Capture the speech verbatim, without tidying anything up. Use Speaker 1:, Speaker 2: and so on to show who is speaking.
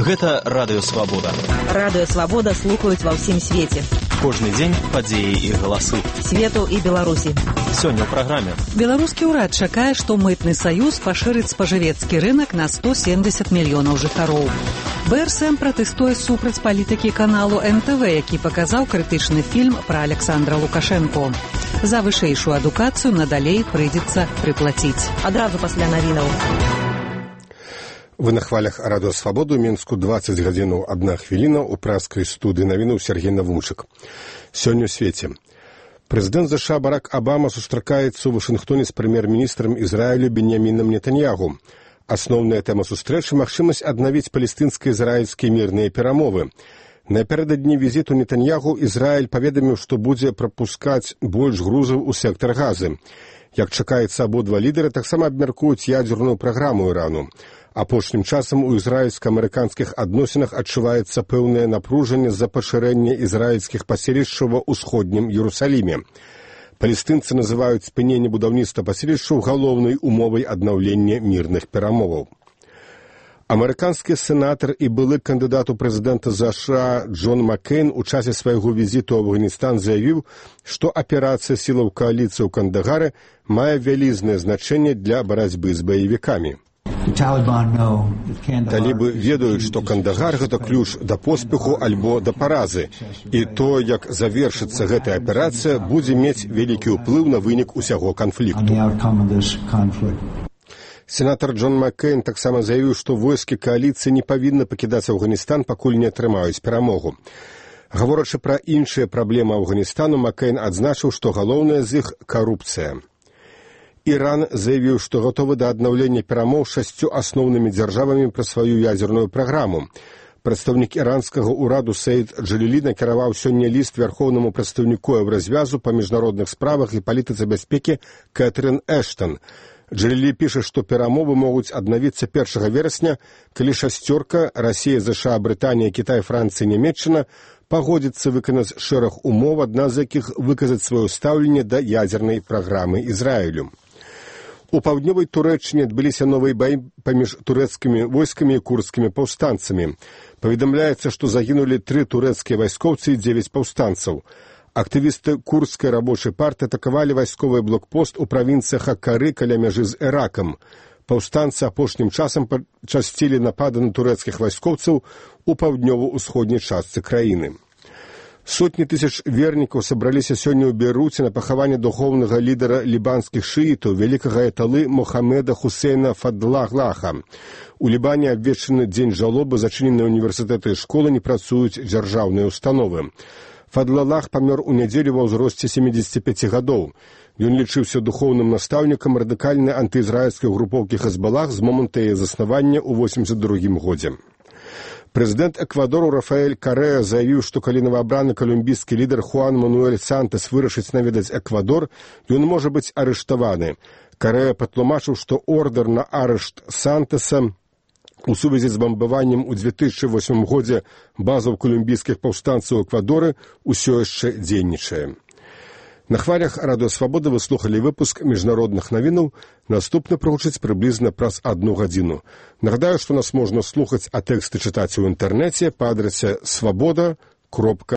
Speaker 1: Гэта Радыё Свабода.
Speaker 2: Радыё Свабода слухаюць ва ўсім свеце.
Speaker 1: Кожны дзень падзеі і галасы.
Speaker 2: Свету і Беларусі.
Speaker 1: Сёння ў праграме.
Speaker 3: Беларускі ўрад чакае, што мытны саюз пашырыць спажывецкі рынак на сто семьдесят мільёнаў жыхароў. БРСМ пратэстуе супраць палітыкі каналу эн тэ вэ, які паказаў крытычны фільм пра Александра Лукашэнко. За вышэйшую адукацыю надалей прыйдзецца прыплаціць.
Speaker 2: Адразу пасля навінаў.
Speaker 4: Вы на хвалях Радыё Свабоду, Мінску дваццаць гадзінаў адна хвіліна, у праскай студыі навінаў Сергей Навунчык. Сёння ў свеце. Прэзідэнт ЗША Барак Абама сустракаецца ў Вашынгтоне з прэм'ер-міністрам Ізраілю Беньямінам Нетаньягу. Асноўная тэма сустрэчы – магчымасць аднавіць палестынска-ізраільскія мірныя перамовы. Напярэдадні візіту Нетаньягу Ізраіль паведаміў, што будзе прапускаць больш грузаў у сектар Газы. Як чакаецца, абодва лідары таксама абмяркуюць ядзерную праграму Ірану. Апошнім часам у ізраільска-амерыканскіх адносінах адчуваецца пэўнае напружанне з-за пашырэння ізраільскіх паселішчаў ва ўсходнім Іерусаліме. Палестынцы называюць спыненне будаўніцтва паселішчаў галоўнай умовай аднаўлення мірных перамоваў. Амерыканскі сенатар і былы кандыдат у прэзідэнта ЗША Джон Маккейн у часе свайго візіту ў Афганістан заявіў, што аперацыя сілаў кааліцыі ў Кандагары мае вялізнае значэнне для барацьбы з баевікамі. Талібы ведаюць, што Кандагар – гэта ключ да поспеху альбо да паразы, і то, як завершыцца гэтая аперацыя, будзе мець вялікі ўплыў на вынік усяго канфлікту. Сенатар Джон Маккейн таксама заявіў, што войскі кааліцыі не павінны пакідаць Афганістан, пакуль не атрымаюць перамогу. Гаворачы пра іншыя праблемы Афганістану, Маккейн адзначыў, што галоўная з іх – карупцыя. Іран заявіў, што гатовы да аднаўлення перамоў шасцю асноўнымі дзяржавамі пра сваю ядзерную праграму. Прадстаўнік іранскага ўраду Саід Джалілі накіраваў сёння ліст вярхоўнаму прадстаўніку Еўразвязу па міжнародных справах і палітыцы бяспекі Кэтрын Эштон. Джалілі піша, што перамовы могуць аднавіцца першага верасня, калі шасцёрка – Расія, ЗША, Брытанія, Кітай, Францыя, Нямецчына – пагодзіцца выканаць шэраг умоў, адна з якіх выказаць сваё стаўленне да ядзернай праграмы Ізраілю. У паўднёвай Турэччыне адбыліся новыя баі паміж турэцкімі войскамі і курдскімі паўстанцамі. Паведамляецца, што загінулі тры турэцкія вайскоўцы і дзевяць паўстанцаў. Актывісты курдскай рабочай партыі атакавалі вайсковы блокпост у правінцыях Аккары каля мяжы з Іракам. Паўстанцы апошнім часам пачасцілі напады на турэцкіх вайскоўцаў у паўднёва-ўсходняй частцы краіны. Сотні тысяч вернікаў сабраліся сёння ў Бейруце на пахаванне духоўнага лідара лібанскіх шыітаў, вялікага аяталы Мохамеда Хусейна Фадлаглаха. У Лібане абвешчаны дзень жалобы, зачыненыя універсітэты і школы, не працуюць дзяржаўныя установы. Фадлаглах памёр у нядзелю ва ўзросце семидзесяти пяти гадоў. Ён лічыўся духоўным настаўнікам радыкальнай антыізраільскай групоўкі Хезбалах з моманту яе заснавання ў восемьдесят другім годзе. Прэзідэнт Эквадору Рафаэль Карэа заявіў, што калі новаабраны калумбійскі лідар Хуан Мануэль Сантас вырашыць наведаць Эквадор, ён можа быць арыштаваны. Карэа патлумачыў, што ордэр на арышт Сантаса у сувязі з бамбаваннем у две тысячи восьмым годзе базаў калумбійскіх паўстанцаў у Эквадоры ўсё яшчэ дзейнічае. На хвалях Радыё Свабода вы слухалі выпуск міжнародных навінаў. Наступны прагучыць прыблізна праз адну гадзіну. Нагадаю, што нас можна слухаць, а тэксты чытаць у інтэрнэце па адрасе свабода кропка